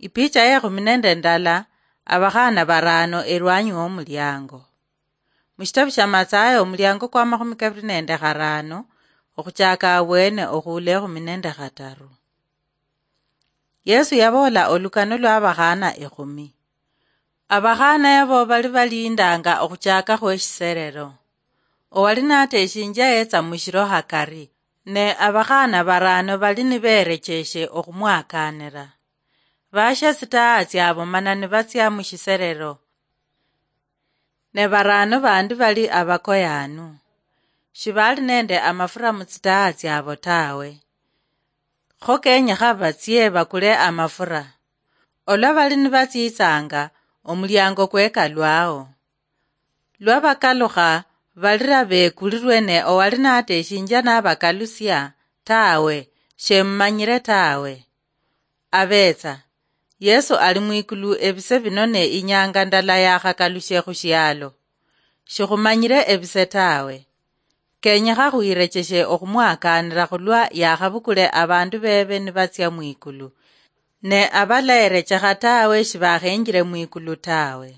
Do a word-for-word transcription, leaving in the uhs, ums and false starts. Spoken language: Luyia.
Ipicha yekhumi nende ndala. Abakhana barano erwanyi womuliango. Mushitabu shia Mathayo, omuliango kwa makhumi kabiri nende kharano, okhuchaka abwene okhuula ekhumi nende khataru. Yesu yaboola olukano lwa abakhana ekhumi. Abakhana yabo bali balindanga okhuchaka khweshiserero. Owali nateshinjia yetsa mushiro hakari, ne abakhana barano bali niberecheshe okhumwakanira. Bashia tsitaha tsiabo mana nibatsia mushiserero. Ne barano bandi bali abakoyanu. Shibali nende amafura mutsitaha tsiabo tawe. Kho kenyekha batsie bakule amafura. Olwa bali nibatsitsanga, omuliango kwekalwao. Lwa bakalukha, balira bekulirwe ne owali nateshinjia nabakalusia, tawe, shemumanyire tawe. Abetsa, Yesu ali mwikulu ebise bino ne inyanga ndala yakhakalushe khushialo. Shikhumanyire ebise tawe. Kenyekha khwirecheshe okhumwakanira khulwa yakhabukule abandu bebe nibatsia mwikulu. Ne abalaerechekha tawe shibakhenjire mwikulu tawe.